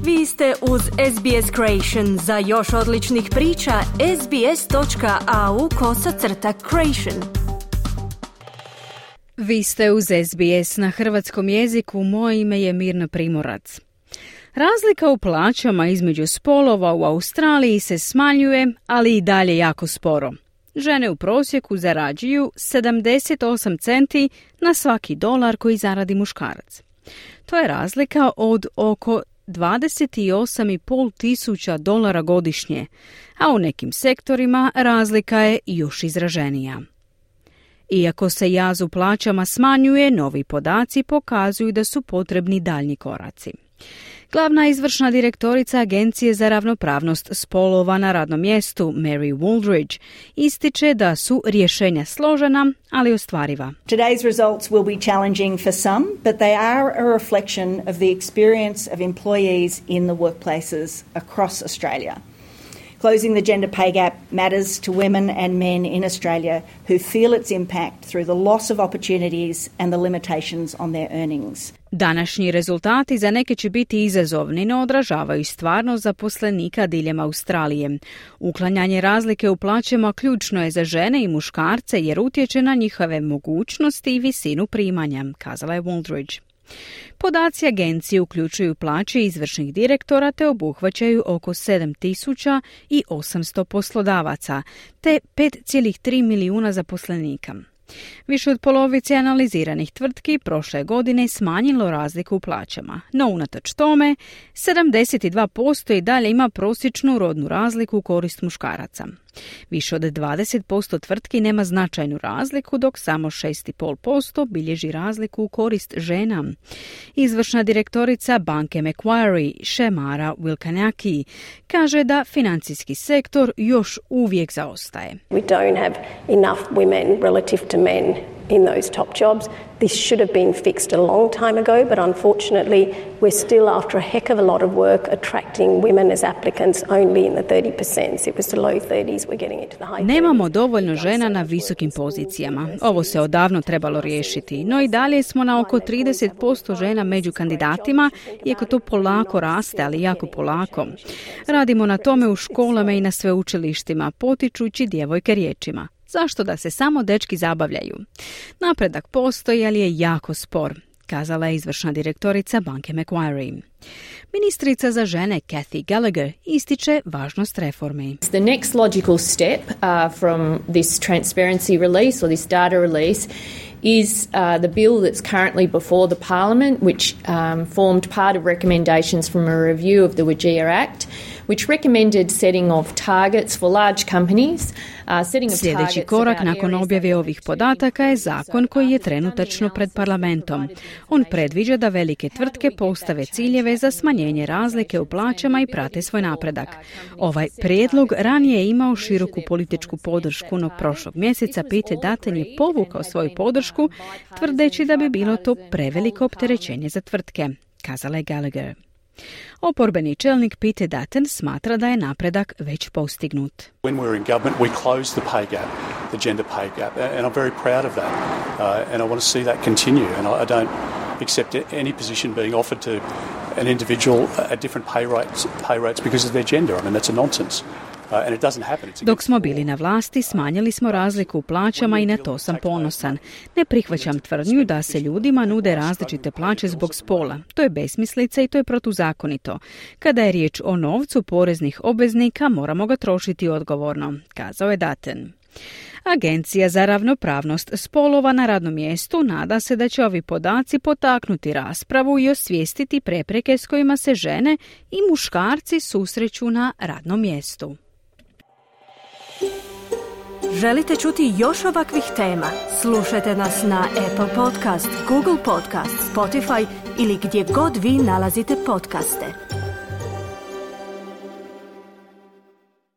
Vi ste uz SBS Creation. Za još odličnih priča, sbs.au/creation. Vi ste uz SBS na hrvatskom jeziku. Moje ime je Mirna Primorac. Razlika u plaćama između spolova u Australiji se smanjuje, ali i dalje jako sporo. Žene u prosjeku zarađuju 78 centi na svaki dolar koji zaradi muškarac. To je razlika od oko 28,5 tisuća dolara godišnje, a u nekim sektorima razlika je još izraženija. Iako se jaz u plaćama smanjuje, novi podaci pokazuju da su potrebni daljnji koraci. Glavna izvršna direktorica Agencije za ravnopravnost spolova na radnom mjestu, Mary Wooldridge, ističe da su rješenja složena, ali ostvariva. Today's results will be challenging for some, but they are a reflection of the experience of employees in the workplaces across Australia. Closing the gender pay gap matters to women and men in Australia who feel its impact through the loss of opportunities and the limitations on their earnings. Današnji rezultati za neke će biti izazovni, no odražavaju stvarnost zaposlenika diljem Australije. Uklanjanje razlike u plaćama ključno je za žene i muškarce jer utječe na njihove mogućnosti i visinu primanja, kazala je Wooldridge. Podaci agencije uključuju plaće izvršnih direktora te obuhvaćaju oko 7.800 poslodavaca te 5,3 milijuna zaposlenika. Više od polovice analiziranih tvrtki prošle godine smanjilo razliku u plaćama, no unatoč tome 72% i dalje ima prosječnu rodnu razliku u korist muškaraca. Više od 20% tvrtki nema značajnu razliku, dok samo 6,5% bilježi razliku u korist žena. Izvršna direktorica banke Macquarie, Shemara Wilkanaki, kaže da financijski sektor još uvijek zaostaje. We don't have enough women relative to men in those top jobs. This should have been fixed a long time ago, but unfortunately we're still, after a heck of a lot of work, attracting women as applicants only in the 30%. It was the low 30s, we're getting into the high 30s. Nemamo dovoljno žena na visokim pozicijama. Ovo se odavno trebalo riješiti, no i dalje smo na oko 30% žena među kandidatima, iako to polako raste, ali jako polako. Radimo na tome u školama i na sveučilištima, potičući djevojke riječima. Zašto da se samo dečki zabavljaju? Napredak postoji, ali je jako spor, kazala je izvršna direktorica banke Macquarie. Ministrica za žene Cathy Gallagher ističe važnost reformi. The next logical step from this transparency release or this data release is the bill that's currently before the Parliament, which formed part of recommendations from a review of the WGEA Act, which recommended setting of targets for large companies. Sljedeći korak nakon objave ovih podataka je zakon koji je trenutačno pred parlamentom. On predviđa da velike tvrtke postave ciljeve za smanjenje razlike u plaćama i prate svoj napredak. Ovaj prijedlog ranije je imao široku političku podršku, no prošlog mjeseca Peter Dutton je povukao svoju podršku, tvrdeći da bi bilo to preveliko opterećenje za tvrtke, kazala je Gallagher. Oporbeni čelnik Peter Dutton smatra da je napredak već postignut. When we were in government, we closed the pay gap, the gender pay gap, and I'm very proud of that. And I want to see that continue. And I don't accept any position being offered to an individual at different pay rates because of their gender. I mean, that's a nonsense. Dok smo bili na vlasti, smanjili smo razliku u plaćama i na to sam ponosan. Ne prihvaćam tvrdnju da se ljudima nude različite plaće zbog spola. To je besmislica i to je protuzakonito. Kada je riječ o novcu poreznih obveznika, moramo ga trošiti odgovorno, kazao je Dutton. Agencija za ravnopravnost spolova na radnom mjestu nada se da će ovi podaci potaknuti raspravu i osvijestiti prepreke s kojima se žene i muškarci susreću na radnom mjestu. Želite čuti još ovakvih tema? Slušajte nas na Apple Podcast, Google Podcast, Spotify ili gdje god vi nalazite podcaste.